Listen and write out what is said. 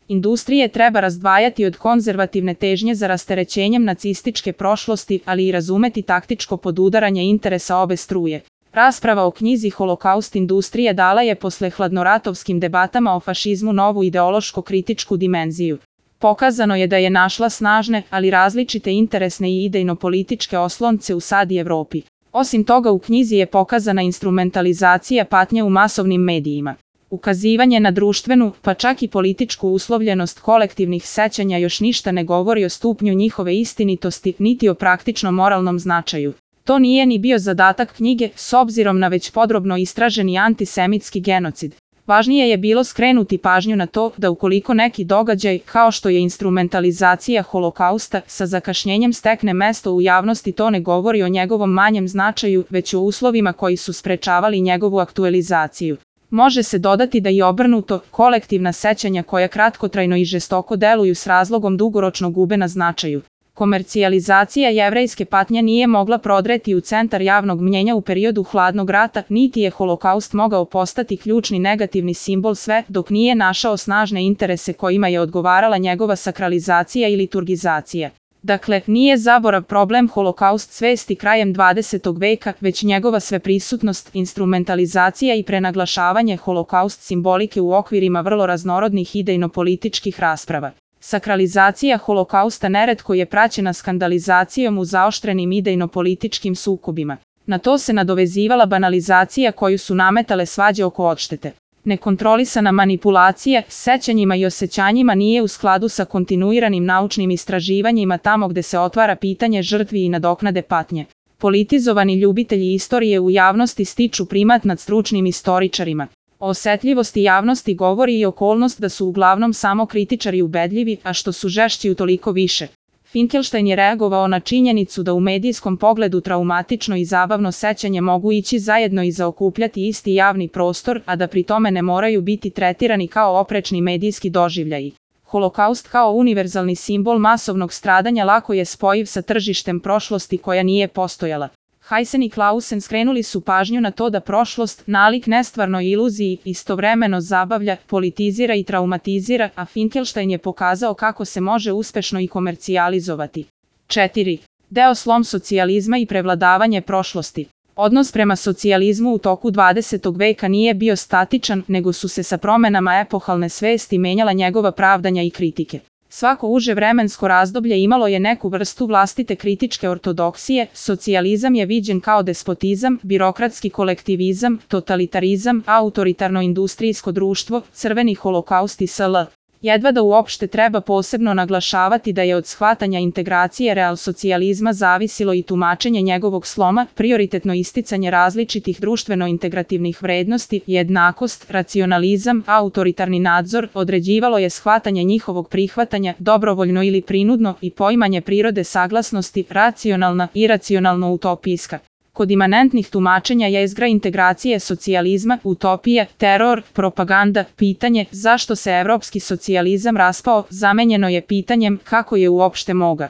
Industrije treba razdvajati od konzervativne težnje za rasterećenjem nacističke prošlosti, ali i razumeti taktičko podudaranje interesa obe struje. Rasprava o knjizi Holokaust industrije dala je posle hladnoratovskim debatama o fašizmu novu ideološko-kritičku dimenziju. Pokazano je da je našla snažne, ali različite interesne i idejno-političke oslonce u SAD i Evropi. Osim toga u knjizi je pokazana instrumentalizacija patnje u masovnim medijima. Ukazivanje na društvenu, pa čak i političku uslovljenost kolektivnih sećanja još ništa ne govori o stupnju njihove istinitosti, niti o praktično moralnom značaju. To nije ni bio zadatak knjige, s obzirom na već podrobno istraženi antisemitski genocid. Važnije je bilo skrenuti pažnju na to da ukoliko neki događaj, kao što je instrumentalizacija Holokausta, sa zakašnjenjem stekne mesto u javnosti, to ne govori o njegovom manjem značaju, već o uslovima koji su sprečavali njegovu aktualizaciju. Može se dodati da i obrnuto, kolektivna sećanja koja kratkotrajno i žestoko deluju s razlogom dugoročno gube na značaju. Komercijalizacija jevrejske patnje nije mogla prodreti u centar javnog mnjenja u periodu hladnog rata, niti je Holokaust mogao postati ključni negativni simbol sve dok nije našao snažne interese kojima je odgovarala njegova sakralizacija i liturgizacija. Dakle, nije zaborav problem Holokaust svesti krajem 20. veka, već njegova sveprisutnost, instrumentalizacija i prenaglašavanje Holokaust simbolike u okvirima vrlo raznorodnih idejno-političkih rasprava. Sakralizacija Holokausta neretko je praćena skandalizacijom u zaoštrenim idejno-političkim sukobima. Na to se nadovezivala banalizacija koju su nametale svađe oko odštete. Nekontrolisana manipulacija sećanjima i osjećanjima nije u skladu sa kontinuiranim naučnim istraživanjima tamo gde se otvara pitanje žrtvi i nadoknade patnje. Politizovani ljubitelji istorije u javnosti stiču primat nad stručnim istoričarima. O osetljivosti javnosti govori i okolnost da su uglavnom samo kritičari ubedljivi, a što su žešći utoliko više. Finkelstein je reagovao na činjenicu da u medijskom pogledu traumatično i zabavno sećanje mogu ići zajedno i zaokupljati isti javni prostor, a da pri tome ne moraju biti tretirani kao oprečni medijski doživljaji. Holokaust kao univerzalni simbol masovnog stradanja lako je spojiv sa tržištem prošlosti koja nije postojala. Heisen i Clausen skrenuli su pažnju na to da prošlost, nalik nestvarnoj iluziji, istovremeno zabavlja, politizira i traumatizira, a Finkelstein je pokazao kako se može uspešno i komercijalizovati. 4. Deo slom socijalizma i prevladavanje prošlosti. Odnos prema socijalizmu u toku 20. veka nije bio statičan, nego su se sa promenama epohalne svesti menjala njegova pravdanja i kritike. Svako uže vremensko razdoblje imalo je neku vrstu vlastite kritičke ortodoksije, socijalizam je viđen kao despotizam, birokratski kolektivizam, totalitarizam, autoritarno industrijsko društvo, crveni holokaust i sl. Jedva da uopšte treba posebno naglašavati da je od shvatanja integracije realsocijalizma zavisilo i tumačenje njegovog sloma, prioritetno isticanje različitih društveno-integrativnih vrednosti, jednakost, racionalizam, autoritarni nadzor, određivalo je shvatanje njihovog prihvatanja, dobrovoljno ili prinudno, i poimanje prirode saglasnosti, racionalna, iracionalno-utopijska. Kod imanentnih tumačenja jezgra integracije socijalizma, utopija, teror, propaganda, pitanje zašto se evropski socijalizam raspao, zamenjeno je pitanjem kako je uopšte moga.